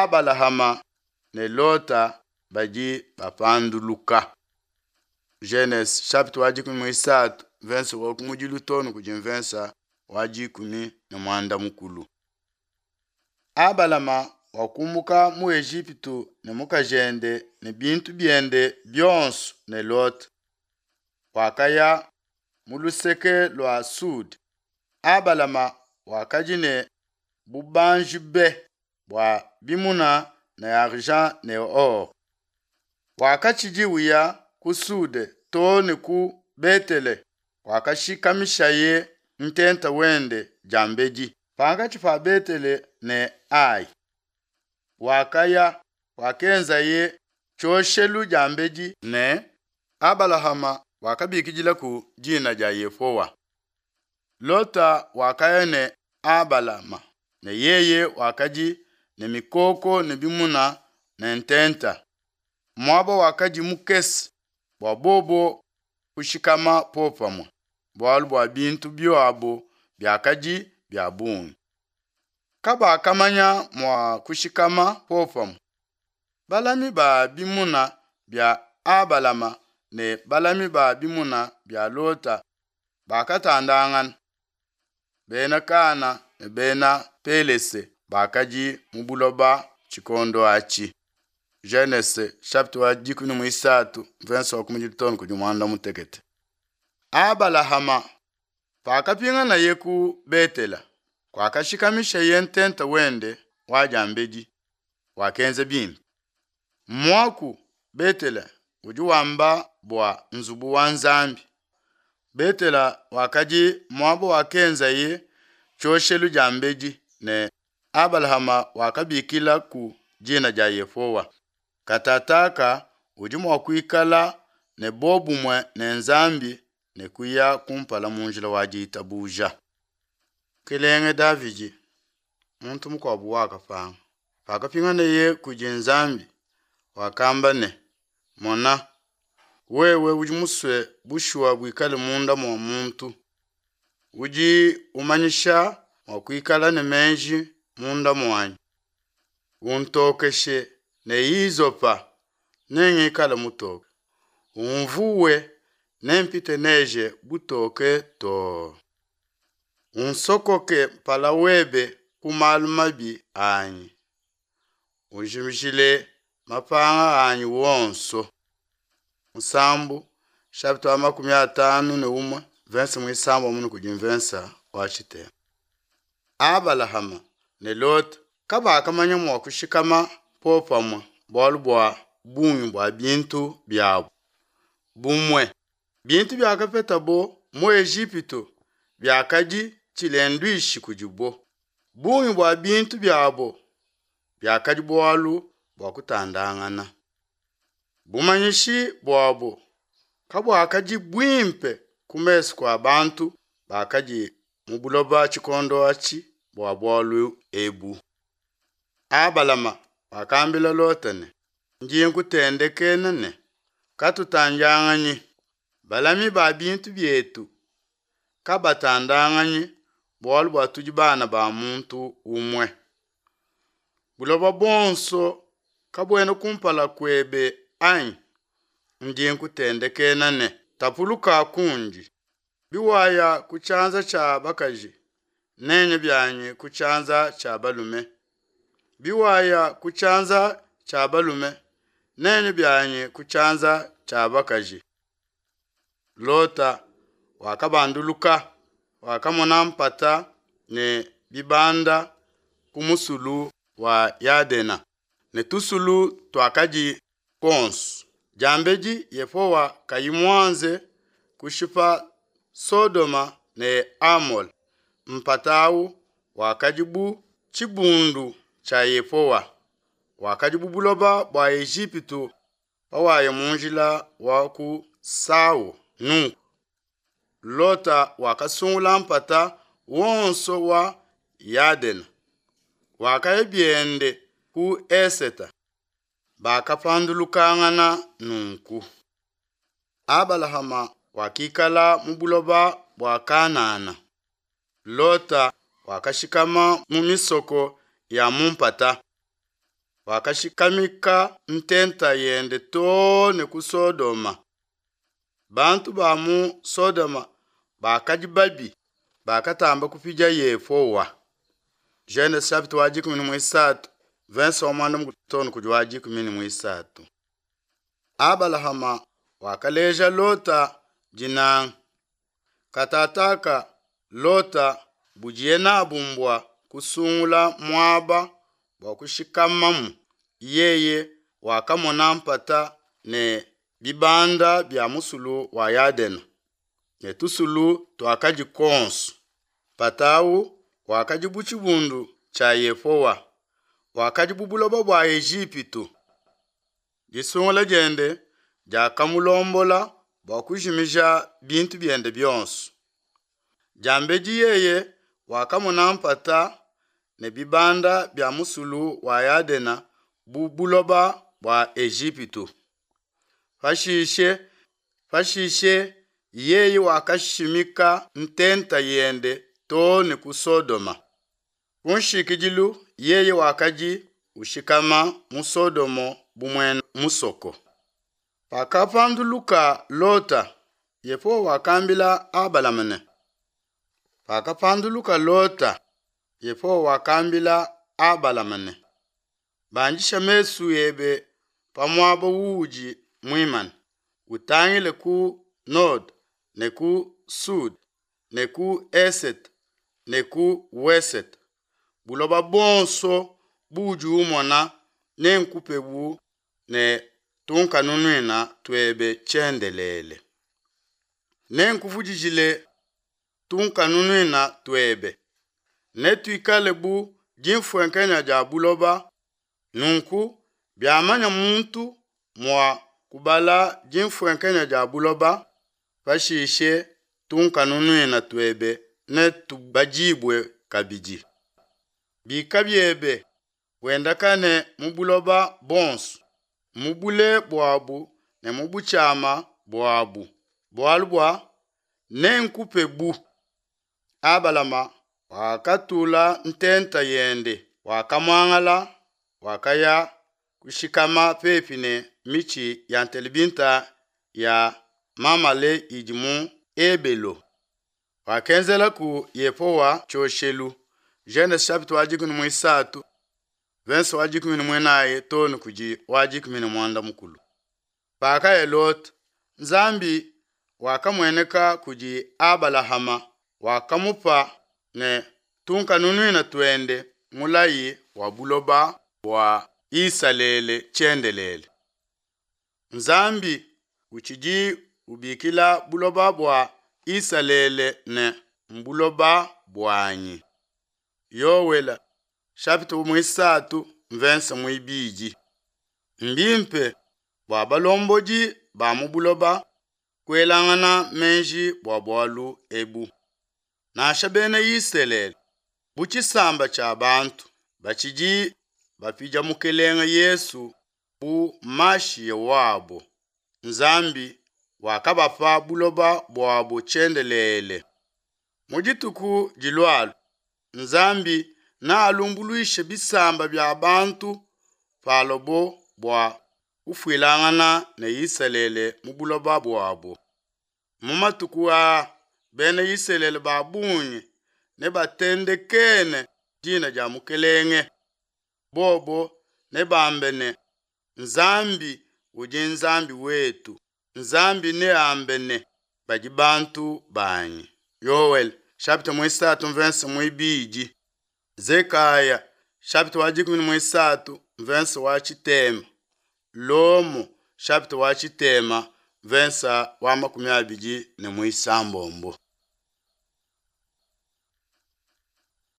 Abalahama ne Lota badi bapanduluka. Genese chapitre wa dikumi muisatu mvensa wa kumudilu too ne kudi mvensa wa dikumi ne muanda mukulu. Abalama wakumbuka mu Ejipitu ne mukajende ne bintu biende bionso ne Lota. Wakaya mu luseke lua Sud. Abalama wakadi ne bubanji be bua bimuna ne argent ne or. Wakatshidi uya ku Sud too ne ku Betele wakashikamishaye ntenta wende diambedi pankatshi pa Betele ne Ai. Wakaya wakenzaye tshioshelu diambedi ne Abalahama wakabikidilaku dina dia Yehowa. Lota wakaya ne Abalama ne yeye wakadi ne mikoko ne bimuna ne ntenta. Muaba wakadi mukese bua bobo kushikama popamue, bualu bua bintu biabo biakadi bia bungi. Kabakamanya mua kushikama popamue. Balami ba bimuna bia Abalama ne balami ba bimuna bia Lota bakatandangana. Bena Kana ne bena Pelese bakadi mu buloba tshikondo atshi. Genese chapitre wa 13 verse wa kumudilu too ne kudi muanda mutekete. Abalahama pakapinganaye ku Betela, kuakashikamishaye ntenta wende wa diambedi, wakenza bimpe. Muaku Betela udi wamba bua nzubu wa Nzambi. Betela wakadi muaba wakenzaye tshioshelu diambedi ne Abalahama wakabikila ku dina dia Yehowa. Katataka udi mua kuikala ne bobumue ne Nzambi ne kuya kumpala mu njila wa ditabuja. Mukelenge Davidi, muntu mukuabu wakapanga. Pakapinganeye kudi Nzambi, wakamba ne, Mona, wewe udi musue bushuwa buikale munda mua muntu. Udi umanyisha mua kuikala ne meji munda muanyi. Untokeshe ne izopa, nengikale mutoke. Unvuwe, nempite neje butoke too. Unsokoke mpala webe ku malu mabi anyi. Unjimijile mapanga anyi wonso. Musambu chapitre wa 51 verse muisamba munu kudi mvensa wa tshitema. Abalahama ne Lota kabakamanya mua kushikama popamue bualu bua bungi bua bintu biabu. Bumue bintu biakapetabo mu Ejipitu biakadi tshilenduishi kudibo. Bungi bua bintu biabo biakadi bualu bua kutandangana. Bumanyishi buabo kabuakadi buimpe ku mesu kua bantu bakadi mu buloba tshikondo atshi bua bualu ebu. Abalama wakambila Lota ne, ndi nkutendekena ne, katutandianganyi. Balami ba bintu bietu kabatandanganyi bualu bua tudi bana ba muntu umue. Buloba buonso kabuena kumpala kuebe anyi? Ndi nkutendekena ne, tapuluka kundi. Biwaya ku tshianza tshia bakaji, nenye bianyi ku tshianza tshia balume. Biwaya ku tshianza tshia balume, nenye bianyi ku tshianza tshia bakaji. Lota wakabanduluka, wakamona mpata ne bibanda ku musulu wa Yadena ne tusulu tuakadi kuonso. Diambedi Yehowa kayi muanze kushipa Sodoma ne Amola, mpata awu wakadi bu tshibundu tshia Yehowa, wakadi bu buloba bua Ejipitu pawaya mu njila wa ku Sau. Nunku Lota wakasungula mpata wonso wa Yadena, wakaya biende ku Eseta. Bakapandulukangana nunku. Abalahama wakikala mu buloba bua Kanana. Lota wakashikama mu misoko ya mu mpata. wakashikamika ntenta yende too ne ku Sodoma. Bantu ba mu Sodoma bakadi babi, bakatamba kupidia Yehowa. Genese chapitre wa 13, verse wa muanda too ne kudi wa 13. Abalahama wakaleja Lota dinanga. Katataka Lota budiye nabu mbua kusungula muaba bua kushikamamu. Yeye wakamona mpata ne bibanda bia musulu wa Yadena ne tusulu tuakadi kuonso. Mpata awu wakadi bu tshibundu tshia Yehowa, wakadi bu buloba bua Ejipitu. Disungula diende diakamulombola bua kujimija bintu biende bionso. Diambedi yeye wakamona mpata ne bibanda bia musulu wa Yadena bu buloba bua Ejipitu. Pashishe pashishe yeye wakashimika ntenta yende too ne ku Sodoma. Ku nshikidilu yeye wakadi ushikama mu Sodomo bu muena musoko. Pakapanduluka Lota, Yehowa wakambila Abalama ne, Pakapanduluka Lota, Yehowa wakambila Abalama ne, Bandisha mesu ebe pa muaba uudi muimane, utangile ku node ne ku sud ne ku esete ne ku wesete. Buloba buonso buudi umona nenkupebu ne tunkanunuina tuebe tshiendelele. Nenkuvudijile tunkanunuina tuebe, netuikale bu dimfuenkenya dia buloba. Nunku biamanya muntu mua kubala dimfuenkenya dia buloba, pashishe tunkanunuina tuebe netubadibue kabidi. Bika biebe, wendakane mu buloba buonso, mu bule buabu ne mu butshiama buabu, bualu bua nenkupebu. Abalama wakatula ntenta yende, wakamuangala, wakaya kushikama pepi ne mitshi ya ntelebinta ya Mamale idi mu Ebelo. Wakenzelaku Yehowa tshioshelu. Genese chapitre wa 13, verse wa 14 too ne kudi wa 14. Pakaya Lota, Nzambi wakamueneka kudi Abalahama, wakamupa ne tunkanunuina tuende mulayi wa buloba bua Isalele tshiendelele. Nzambi utshidi ubikila buloba bua Isalele ne mbuloba buanyi. Yoele chapitre muisatu verse muibidi. Mbimpe bua balombodi ba mu buloba kuelangana meji bua bualu ebu. Nansha bena Isalele bu tshisamba tshia bantu batshidi bapidia Mukelenge Yesu bu Mashiya wabo. Nzambi wakabapa buloba buabo tshiendelele. Mu dituku dilualua Nzambi nealumbuluishe bisamba bia bantu palobo bua kufuilangana ne Isalele mu buloba buabo. Mu matuku aa bena Isalele ba bungi nebatendekene dina dia Mukelenge. Bobo nebambe ne, Nzambi udi Nzambi wetu. Nzambi neambe ne, badi bantu banyi. Yoele chapitre muisatu verse muibidi. Zekaya chapitre wa 13 verse wa tshitema. Lomo chapitre wa tshitema verse wa 21.